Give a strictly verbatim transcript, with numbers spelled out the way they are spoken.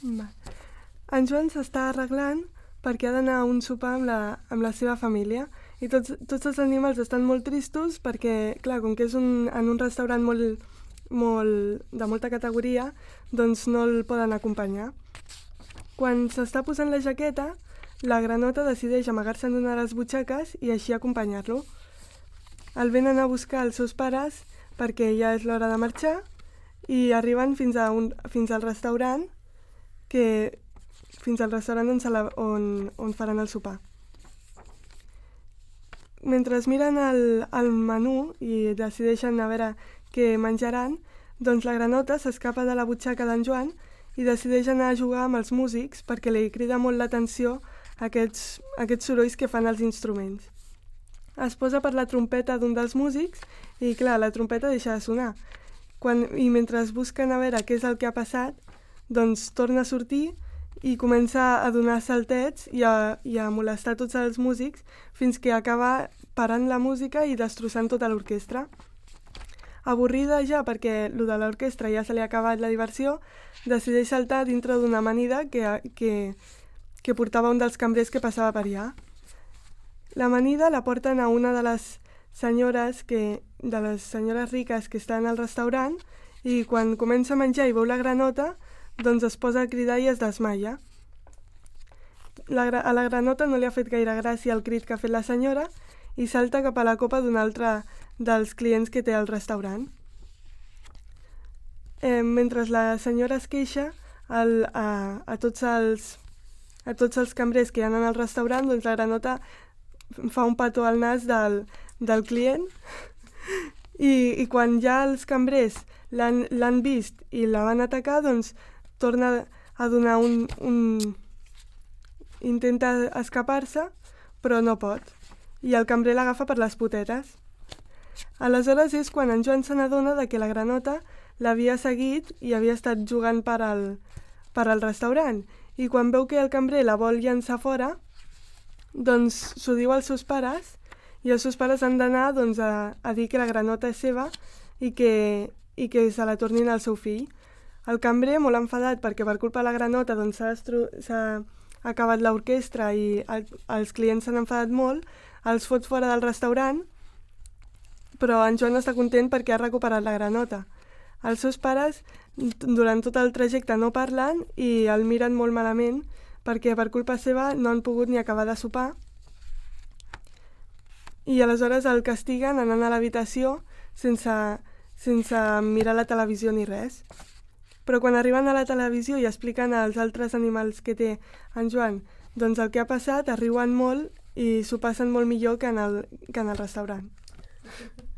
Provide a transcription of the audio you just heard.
Va. En Joan s'està arreglant perquè ha d'anar a un sopar amb la, amb la seva família i tots, tots els animals estan molt tristos perquè, clar, com que és un, en un restaurant molt, molt, de molta categoria, doncs no el poden acompanyar. Quan s'està posant la jaqueta, la granota decideix amagar-se en una de les butxaques i així acompanyar-lo. El venen a buscar els seus pares perquè ja és l'hora de marxar i arriben fins, a un, fins al restaurant que fins al restaurant on, la, on, on faran el sopar. Mentre miren el, el menú i decideixen a veure què menjaran, doncs la granota s'escapa de la butxaca d'en Joan i decideix anar a jugar amb els músics perquè li crida molt l'atenció aquests, aquests sorolls que fan els instruments. Es posa per la trompeta d'un dels músics i, clar, la trompeta deixa de sonar. Quan, I mentre es busquen a veure què és el que ha passat, doncs torna a sortir i comença a donar saltets i a, i a molestar tots els músics fins que acaba parant la música i destrossant tota l'orquestra. Avorrida ja perquè lo de l'orquestra ja se li ha acabat la diversió, decideix saltar dintre d'una amanida que, que, que portava un dels cambrers que passava per allà. L'amanida la porten a una de les senyores, que, de les senyores riques que estan al restaurant i quan comença a menjar i veu la granota, doncs es posa a cridar i es desmaia. La, a la granota no li ha fet gaire gràcia el crit que ha fet la senyora i salta cap a la copa d'un altre dels clients que té al restaurant. Eh, mentre la senyora es queixa el, a, a, tots els, a tots els cambrers que hi ha al restaurant, doncs la granota fa un petó al nas del, del client i, i quan ja els cambrers l'han vist i la van atacar, doncs torna a donar un... un... intenta escapar-se, però no pot. I el cambrer l'agafa per les potetes. Aleshores és quan en Joan se n'adona de que la granota l'havia seguit i havia estat jugant per al, per al restaurant. I quan veu que el cambrer la vol llançar fora, doncs s'ho diu als seus pares i els seus pares han d'anar doncs, a, a dir que la granota és seva i que, i que se la tornin al seu fill. El cambrer, molt enfadat perquè per culpa de la granota doncs, s'ha destru- s'ha acabat l'orquestra i el, els clients s'han enfadat molt, els fot fora del restaurant, però en Joan està content perquè ha recuperat la granota. Els seus pares durant tot el trajecte no parlen i el miren molt malament perquè per culpa seva no han pogut ni acabar de sopar i aleshores el castiguen anant a l'habitació sense, sense mirar la televisió ni res. Però quan arriben a la televisió i expliquen als altres animals que té en Joan doncs el que ha passat, es riuen molt i s'ho passen molt millor que en el, que en el restaurant.